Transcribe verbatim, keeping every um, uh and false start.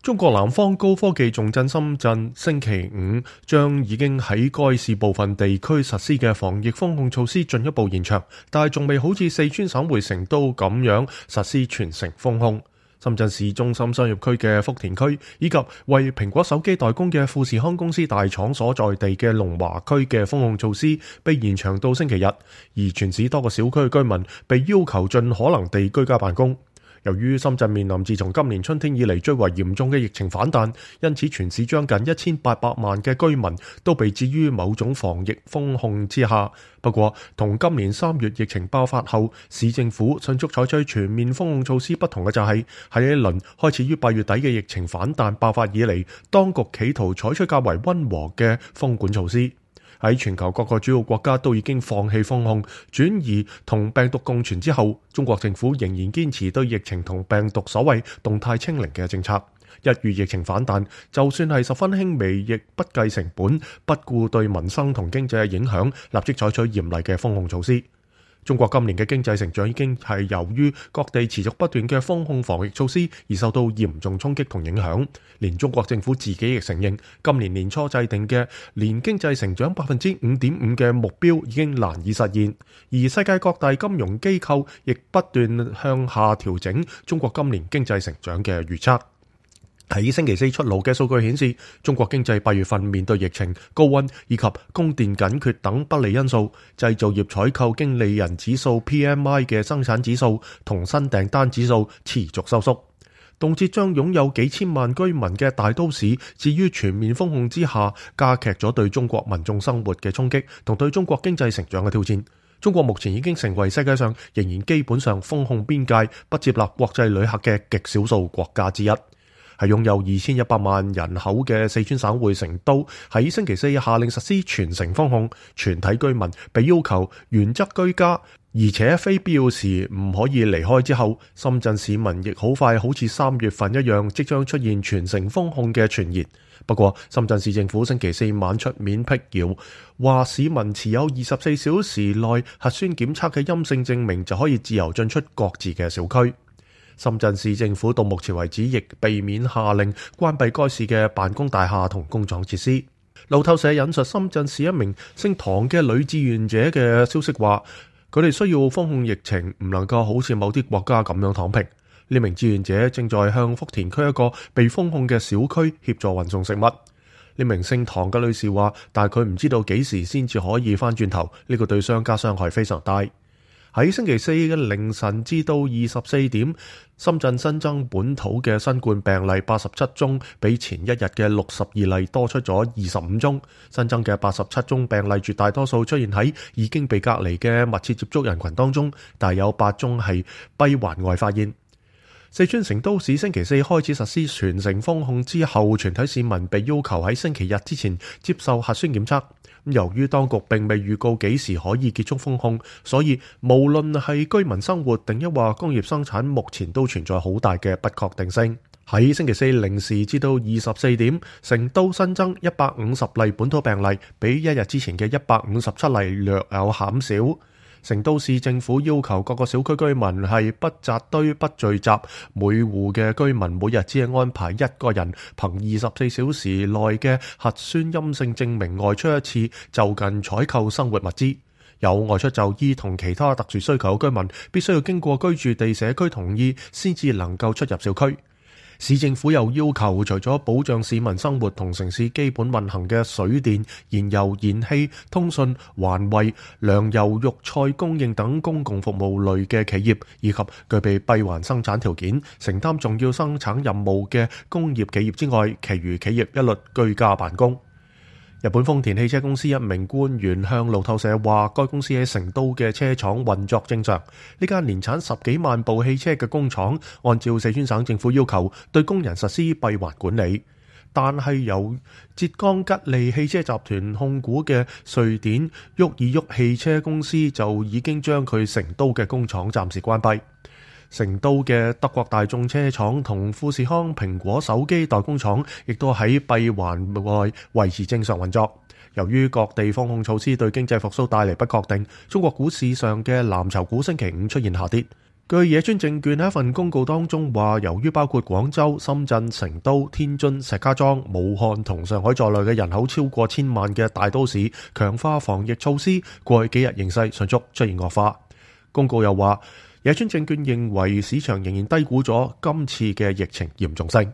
中國南方高科技重鎮深圳星期五將已經喺該市部分地區實施嘅防疫封控措施進一步延長，但係仲未好似四川省會成都咁樣實施全城封控。深圳市中心商業區嘅福田區以及為蘋果手機代工嘅富士康公司大廠所在地嘅龍華區嘅封控措施被延長到星期日，而全市多個小區嘅居民被要求盡可能地居家辦公。由於深圳面臨自從今年春天以嚟最為嚴重嘅疫情反彈，因此全市將近一千八百萬嘅居民都被置於某種防疫封控之下。不過，同今年三月疫情爆發後，市政府迅速採取全面封控措施不同嘅就係喺一輪開始於八月底嘅疫情反彈爆發以嚟，當局企圖採取較為溫和嘅封管措施。喺全球各個主要國家都已經放棄封控，轉移同病毒共存之後，中國政府仍然堅持對疫情同病毒所謂動態清零嘅政策。一遇疫情反彈，就算係十分輕微，亦不計成本，不顧對民生同經濟嘅影響，立即採取嚴厲嘅封控措施。中國今年嘅經濟成長已經係由於各地持續不斷嘅封控防疫措施而受到嚴重衝擊同影響，連中國政府自己亦承認，今年年初制定嘅年經濟成長百分之五點五嘅目標已經難以實現，而世界各大金融機構亦不斷向下調整中國今年經濟成長嘅預測。喺星期四出爐嘅數據顯示，中國經濟八月份面對疫情、高溫以及供電緊缺等不利因素，製造業採購經理人指數 P M I 嘅生產指數同新訂單指數持續收縮，動輒將擁有幾千萬居民嘅大都市置於全面封控之下，加劇咗對中國民眾生活嘅衝擊同對中國經濟成長嘅挑戰。中國目前已經成為世界上仍然基本上封控邊界、不接納國際旅客嘅極少數國家之一。係擁有二千一百萬人口嘅四川省會成都，喺星期四下令實施全城封控，全體居民被要求原則居家，而且非必要時唔可以離開之後，深圳市民亦好快好似三月份一樣，即將出現全城封控嘅傳言。不過，深圳市政府星期四晚出面闢謠，話市民持有二十四小時內核酸檢測嘅陰性證明就可以自由進出各自嘅小區。深圳市政府到目前為止亦避免下令關閉該市嘅辦公大廈同工廠設施。路透社引述深圳市一名姓唐嘅女志願者嘅消息話，佢哋需要封控疫情，唔能夠好似某啲國家咁樣躺平。呢名志願者正在向福田區一個被封控嘅小區協助運送食物。呢名姓唐嘅女士話，但係佢唔知道幾時先至可以翻轉頭，呢個對商家傷害非常大。喺星期四嘅凌晨至到二十四點，深圳新增本土嘅新冠病例八十七宗，比前一日嘅六十二例多出咗二十五宗。新增嘅八十七宗病例絕大多數出現喺已經被隔離嘅密切接觸人群當中，但有八宗係閉環外發現。四川成都市星期四開始實施全城封控之後，全體市民被要求喺星期日之前接受核酸檢測。由於當局並未預告幾時可以結束封控，所以無論係居民生活定抑或工業生產，目前都存在好大嘅不確定性。喺星期四零時至到二十四點，成都新增一百五十例本土病例，比一日之前嘅一百五十七例略有減少。成都市政府要求各個小區居民係不紮堆、不聚集，每戶嘅居民每日只係安排一個人憑二十四小時內嘅核酸陰性證明外出一次，就近採購生活物資。有外出就醫同其他特殊需求嘅居民，必須要經過居住地社區同意，先至能夠出入小區。市政府又要求，除咗保障市民生活同城市基本運行嘅水電、燃油、燃氣、通訊、環衛、糧油、肉菜供應等公共服務類嘅企業，以及具備閉環生產條件、承擔重要生產任務嘅工業企業之外，其餘企業一律居家辦公。日本豐田汽車公司一名官員向路透社話，該公司喺成都嘅車廠運作正常。呢間年產十幾萬部汽車嘅工廠，按照四川省政府要求，對工人實施閉環管理。但係由浙江吉利汽車集團控股嘅瑞典沃爾沃汽車公司就已經將佢成都嘅工廠暫時關閉。成都嘅德國大眾車廠同富士康蘋果手機代工廠亦都喺閉環外維持正常運作。由於各地封控措施對經濟復甦帶嚟不確定，中國股市上嘅藍籌股星期五出現下跌。據野村證券喺一份公告當中話，由於包括廣州、深圳、成都、天津、石家莊、武漢同上海在內嘅人口超過千萬嘅大都市，強化防疫措施，過去幾日形勢迅速出現惡化。公告又話，野村證券認為市場仍然低估咗今次嘅疫情嚴重性。